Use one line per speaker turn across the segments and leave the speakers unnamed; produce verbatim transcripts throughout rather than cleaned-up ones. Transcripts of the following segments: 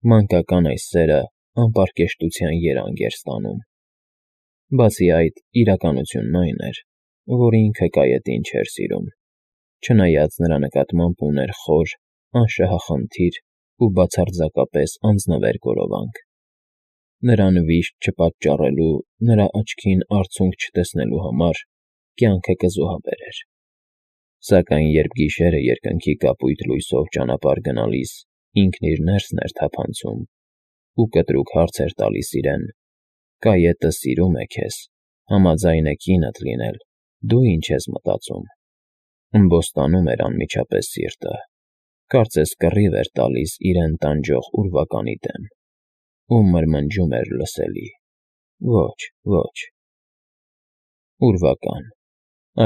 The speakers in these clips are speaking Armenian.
Մանկական այս սերը անպարկեշտության երանգ էր ստանում։ Բացի այդ, իրականությունն այն էր, որ ինքը կայետին չէր սիրում, չնայած նրա նկատմամբ ուներ խոր, անշահախնդիր ու բացարձակապես անձնվեր գորովանք։ Նրան վիշտ չպատճառելու, նրա աչքին արցունք չտեսնելու համար կյանքը կզոհաբերեր։ Սակայն երբ գիշերը երկնքի կապույտ լույսով ճանապարհ գնալիս ինքն իր ներսն էր թափանցում ու կտրուկ հարց էր տալիս իրեն. «Կայետը սիրում է քեզ, համաձայն է կինդ լինել, դու ինչ ես մտածում», ըմբոստանում էր անմիջապես սիրտը, կարծես կռիվ էր տալիս իրեն տանջող ուրվականի դեմ, ու մրմնջում էր լսելի. «Ոչ, ոչ»։ Ուրվական…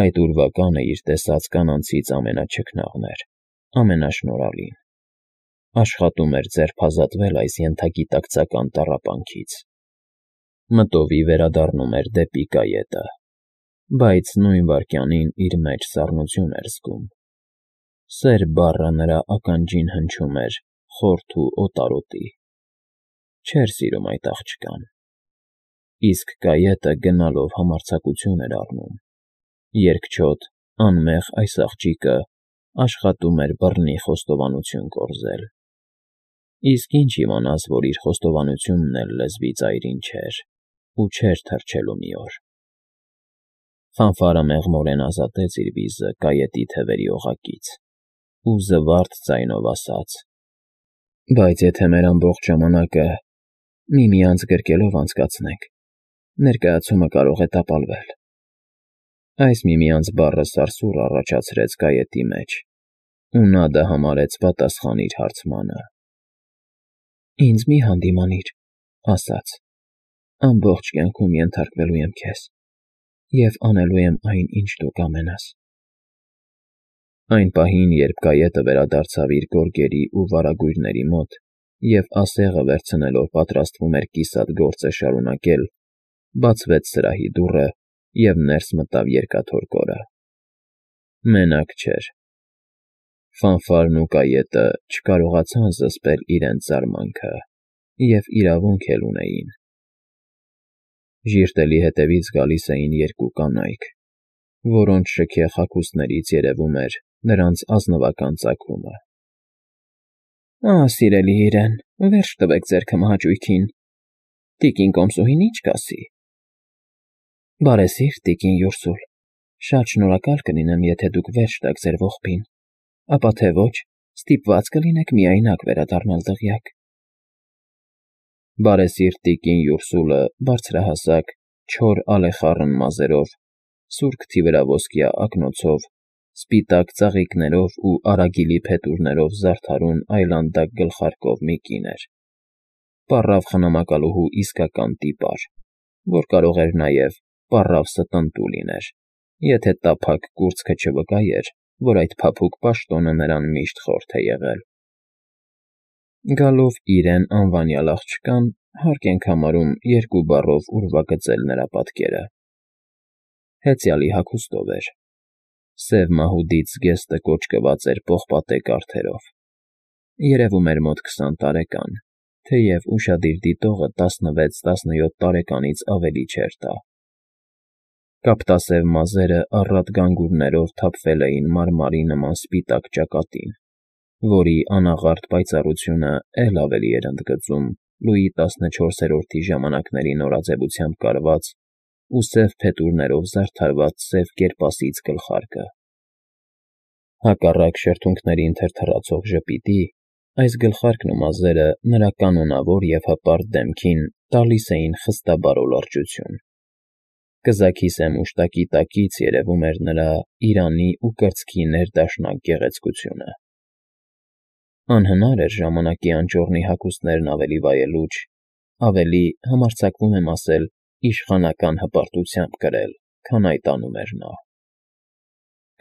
Այդ ուրվականը իր տեսած կանանցից ամենաչքնաղն էր, ամենաշնորհալին… Աշխատում էր ձերբազատվել այս ենթագիտակցական տառապանքից… Մտովի վերադառնում էր դեպի կայետը, բայց նույն վայրկյանին իր մեջ սառնություն էր զգում… Սեր բառը նրա ականջին հնչում էր խորթ ու օտարոտի… Չէր սիրում այդ աղջկան… Իսկ կայետը գնալով համարձակություն էր առնում… Երկչոտ, անմեղ այս աղջիկը աշխատում էր բռնի խոստովանություն կորզել… Իսկ ինչ իմանաս, որ իր խոստովանությունն էլ լեզվի ծայրին չէր ու չէր թռչելու մի օր… Ֆանֆարը մեղմորեն ազատեց իր վիզը կայետի թևերի օղակից ու զվարթ ձայնով ասաց. «Բայց եթե մեր ամբողջ ժամանակը միմյանց գրկելով անցկացնենք, ներկայացումը կարող է տապալվել»… Այս «միմյանց» բառը սարսուռ առաջացրեց կայետի մեջ, ու նա դա համարեց պատասխան իր հարցմանը։ «Ինձ մի՛ հանդիմանիր», ասաց, «ամբողջ կյանքում ենթարկվելու եմ քեզ և անելու եմ այն, ինչ դու կամենաս»։ Այն պահին, երբ կայետը վերադարձավ իր գորգերի ու վարագույրների մոտ և ասեղը վերցնելով պատրաստվում էր կիսատ գործը շարունակել, բացվեց սրահի դուռը, և ներս մտավ երկաթոր կորը… Մենակ չէր… Ֆանֆարն ու կայետը չկարողացան զսպել իրենց զարմանքը և իրավունք էլ ունեին… Ժիրտելի հետևից գալիս էին երկու կանայք, որոնց շքեղ հագուստներից երևում էր նրանց ազնվական ծագումը։ «Ահ, սիրելի իրեն, վերջ տվեք ձեր քմահաճույքին, տիկին կոմսուհին ի՞նչ կասի»։ «Բարեսիրտ տիկին Յուրսուլ, շատ շնորհակալ կլինեմ, եթե դուք վերջ տաք ձեր ողբին, ապա թե ոչ, ստիպված կլինեք միայնակ վերադառնալ դղյակ»։ Բարեսիրտ տիկին Յուրսուլը բարձրահասակ, չոր ալեխառն մազերով, սուր քթի վրա ոսկյա ակնոցով, սպիտակ ծաղիկներով ու արագիլի փետուրներով զարդարուն այլանդակ գլխարկով մի կին էր… Պառավ խնամակալուհու իսկական տիպար, որ կարող էր նաև պառավ ստընտու լիներ, եթե տափակ կուրծքը չվկայեր, որ այդ փափուկ պաշտոնը նրան միշտ խորթ է եղել։ Գալով իրեն անվանյալ աղջկան, հարկ ենք համարում երկու բառով ուրվագծել նրա պատկերը… Հեծյալի հագուստով էր… Սև մահուդից զգեստը կոճկված էր պողպատե կառթերով, երևում էր մոտ քսան տարեկան, թեև ուշադիր դիտողը տասնվեց֊տասնյոթ տարեկանից ավելի չէր տա։ Կապտասև մազերը առատ գանգուրներով թափվել էին մարմարի նման սպիտակ ճակատին, որի անաղարտ պայծառությունը էլ ավելի էր ընդգծում Լուի տասնչորսերորդի ժամանակների նորաձևությամբ կարված ու սև փետուրներով զարդարված սև կերպասից գլխարկը։ Հակառակ շրթունքներին թրթռացող ժպիտի, այս գլխարկն ու մազերը նրա կանոնավոր և հպարտ դեմքին տալիս էին խստաբար օլարջություն։ Կզաքի սեմ ուշտակի տակից երևում էր նրա իրանի ու կրծքի ներդաշնակ գեղեցկությունը։ Անհնար էր ժամանակի անճոռնի հագուստներն ավելի վայելուչ, ավելի, համարձակվում եմ ասել, իշխանական հպարտությամբ կրել, քան այդ անում էր նա։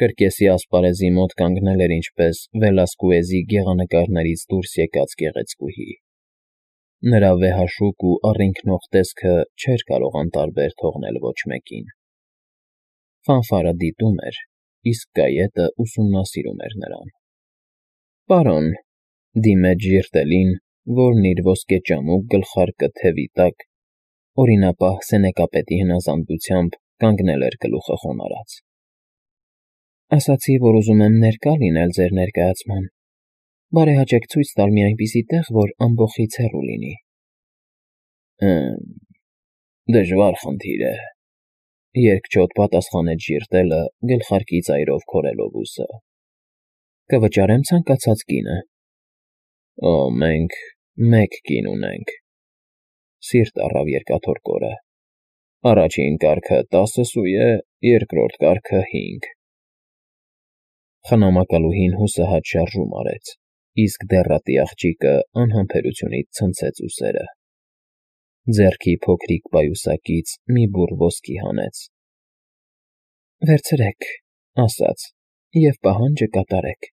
Կրկեսի ասպարեզի մոտ կանգնել էր ինչպես Վելասկուեզի գեղանկարներից դուրս եկած գեղեցկուհի։ Նրա վեհաշուկ ու առինքնող տեսքը չէր կարող անտարբեր թողնել ոչ մեկին։ Ֆանֆարը դիտում էր, իսկ կայետը ուսումնասիրում էր նրան։ ֊ Պարոն,֊ դիմեց ժիրտելին, որն իր ոսկեճամուկ գլխարկը թևի տակ, օրինապահ սենեկապետի հնազանդությամբ կանգնել էր գլուխը խոնարհած։ Ասացի, որ ուզում եմ ներկա լինել ձեր ներկայացման, բարեհաճեք ցույց տալ մի այնպիսի տեղ, որ ամբոխից հեռու լինի։ Հը՛մ, դժվար խնդիր է, երկչոտ պատասխանեց ժիրտելը, գլխարկի ծայրով քորելով ուսը։ Կվճարեմ ցանկացած կինը։ Օ, մենք մեկ կին ունենք։ Սիրտ առավ երկաթորկորը։ Առաջին կարգը տասը սույ է, երկրորդ կարգը հինգ։ Խնամակալուհին հուսահատ շարժում արեց, իսկ դեռատի աղջիկը անհամբերությունից ցնցեց ուսերը։ Ձեռքի փոքրիկ պայուսակից մի բուռ ոսկի հանեց։ Վերցրեք, ասաց, և պահանջը կատարեք։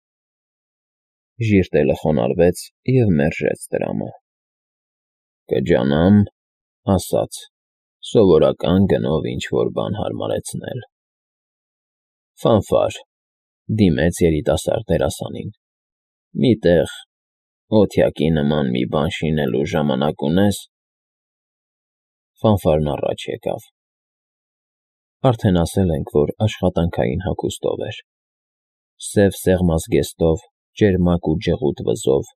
Ժիրտելը խոնարհվեց և մերժեց տրամը։ Կջանամ, ասաց, սովորական գնով ինչ֊որ բան հարմարեցնել։ Ֆանֆար, դիմեց երիտասարդ դերասանին։ Մի տեղ, օթյակի նման մի բան շինելու ժամանակ ունե՞ս։ Ֆանֆարն առաջ եկավ։ Արդեն ասել ենք, որ աշխատանքային հագուստով էր։ Սև սեղմազգեստով, ճերմակ ու ջղուտ վզով,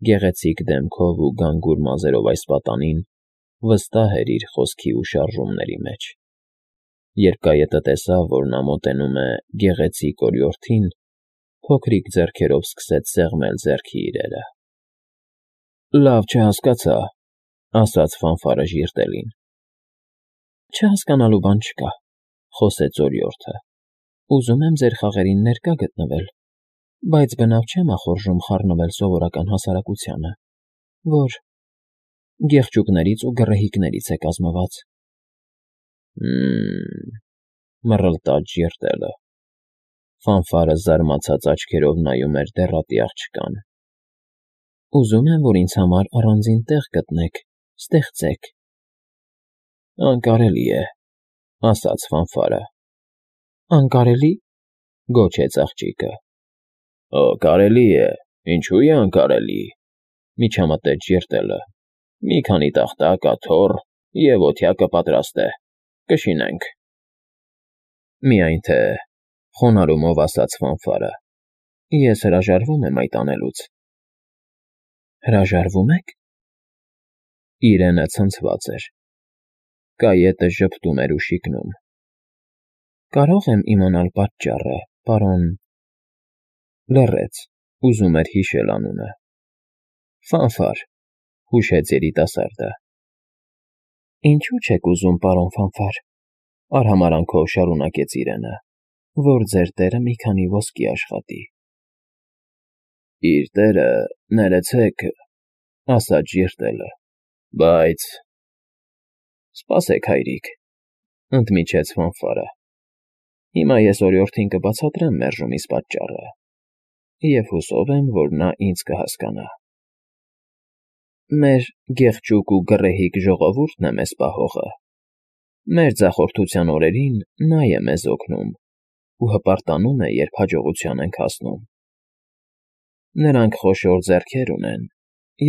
գեղեցիկ դեմքով ու գանգուր մազերով այս պատանին վստահ էր իր խոսքի ու շարժումների մեջ։ Երբ կայետը տեսավ, որ նա մոտենում է գեղեցիկ օրիորդին, փոքրիկ ձեռքերով սկսեց սեղմել ձեռքի իրերը։ Լավ չհասկացա, ասաց Ֆանֆարը ժիրտելին։ Չհասկանալու բան չկա, խոսեց օրիորդը։ Ուզում եմ ձեր խաղերին ներկա գտնվել, բայց բնավ չեմ ախորժում խառնվել սովորական հասարակությանը, որ գեղչուկներից ու գռեհիկներից է կազմված։ Հը՛մ, մռլտաց ժիրտելը։ Ֆանֆարը զարմացած աչքերով նայում էր դեռատի աղջկան։ Ուզում եմ, որ ինձ համար առանձին տեղ գտնեք, ստեղծեք։ Անկարելի է, ասաց Ֆանֆարը։ Անկարելի, գոչեց աղջիկը։ Օ, կարելի է, ինչու է անկարելի, միջամտեց ժիրտելը։ Մի քանի տախտակ, աթոռ, և օթյակը պատրաստ է, կշինենք։ Միայն թե, խոնարհումով ասաց Ֆանֆարը, ես հրաժարվում եմ այդ անելուց։ Հրաժարվո՞ւմ եք։ Իրենը ցնցված էր։ Կայետը ժպտում էր ու շիկնում։ Կարո՞ղ եմ իմանալ պատճառը, պարոն… Լռեց, ուզում էր հիշել անունը։ Ֆանֆար, հուշեց երիտասարդը։ Ինչու՞ չեք ուզում, պարոն Ֆանֆար, արհամարհանքով շարունակեց իրենը, որ ձեր տերը մի քանի ոսկի աշխատի։ Իր տերը, ներեցեք, ասաց ժիրտելը, բայց… Սպասեք, հայրիկ, ընդմիջեց Ֆանֆարը։ Հիմա ես օրիորդին կբացատրեմ մերժումիս պատճառը, և հուսով եմ, որ նա ինձ կհասկանա։ Մեր գեղեցիկ ու գռեհիկ ժողովուրդն է մեզ պահողը։ Մեր ձախորդության օրերին նա է մեզ օգնում ու հպարտանում է, երբ հաջողության ենք հասնում։ Նրանք խոշոր ձեռքեր ունեն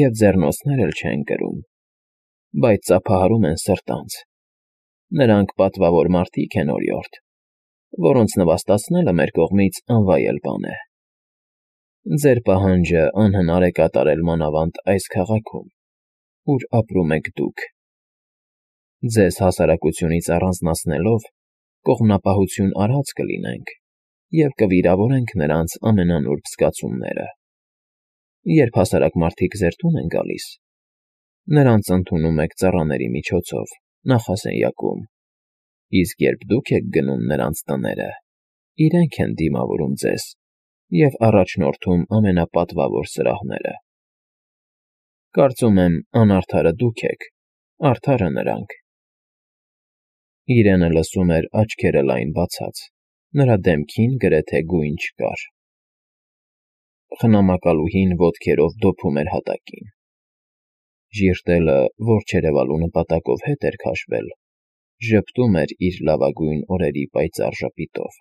և ձեռնոցներ էլ չեն կրում, բայց ծափահարում են սրտանց։ Նրանք պատվավոր մարդիկ են, օրիորդ, որոնց նվաստացնելը մեր կողմից անվայել բան է։ Ձեր պահանջը անհնար է կատարել մանավանդ այս քաղաքում, ուր ապրում եք դուք։ Ձեզ հասարակությունից առանձնացնելով կողմնապահություն արած կլինենք և կվիրավորենք նրանց ամենանուրբ զգացումները։ Երբ հասարակ մարդիկ ձեր տուն են գալիս, նրանց ընդունում եք ծառաների միջոցով, նախասենյակում, իսկ երբ դուք եք գնում նրանց տները, իրենք են դիմավորում ձեզ և առաջնորդում ամենապատվավոր սրահները։ Կարծում եմ, անարդարը դուք եք, արդարը նրանք։ Իրենը լսում էր աչքերը լայն բացած, նրա դեմքին գրեթե գույն չկար։ Խնամակալուհին ոտքերով դոփում էր հատակին։ Ժիրտելը, որ չերևալու նպատակով հետ էր քաշվել, ժպտում էր իր լավագույն օրերի պայծառ ժպիտով։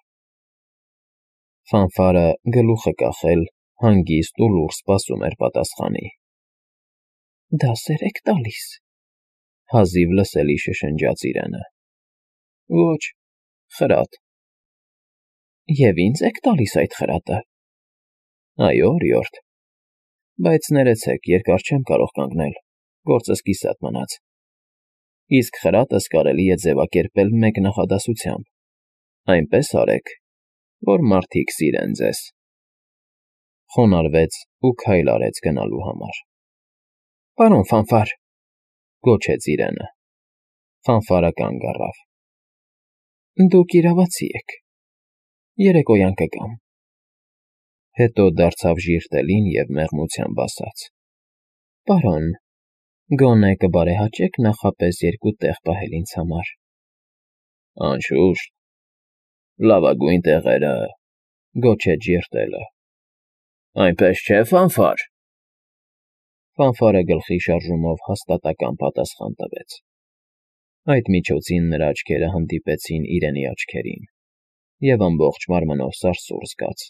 Ֆանֆարը, գլուխը կախել, հանգիստ ու լուռ սպասում էր պատասխանի։ Դասեր եք տալիս,֊ հազիվ լսելի շշնջաց իրենը։ ֊ Ոչ, խրատ։ ֊ Եվ ինձ եք տալիս այդ խրատը։ ֊ Այո, օրիորդ, բայց ներեցեք, երկար չեմ կարող կանգնել, գործս կիսատ մնաց, իսկ խրատս կարելի է ձևակերպել մեկ նախադասությամբ. այնպես արեք, որ մարդիկ սիրեն ձեզ… Խոնարհվեց ու քայլ արեց գնալու համար։ ֊ Պարոն Ֆանֆար,֊ գոչեց իրենը։ Ֆանֆարը կանգ առավ։ ֊ Դուք իրավացի եք, երեկոյան կգամ… Հետո դարձավ ժիրտելին և մեղմությամբ ասաց. ֊ Պարոն, գոնե կբարեհաճեք նախապես երկու տեղ պահել ինձ համար։ ֊ Անշուշտ, լավագույն տեղերը,֊ գոչեց ժիրտելը։ ֊ Այնպես չէ՞, Ֆանֆար… Ֆանֆարը գլխի շարժումով հաստատակամ պատասխան տվեց։ Այդ միջոցին նրա աչքերը հանդիպեցին իրենի աչքերին, և ամբողջ մարմնով սարսուռ զգաց,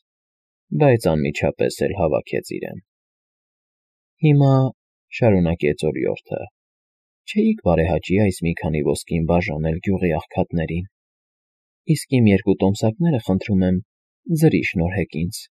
բայց անմիջապես էլ հավաքեց իրեն։ ֊ Հիմա,֊ շարունակեց օրիորդը,֊ չէի՞ք բարեհաճի այս մի քանի ոսկին բաժանել գյուղի աղքատներին, իսկ իմ երկու տոմսակները, խնդրում եմ, ձրի շնորհեք ինձ։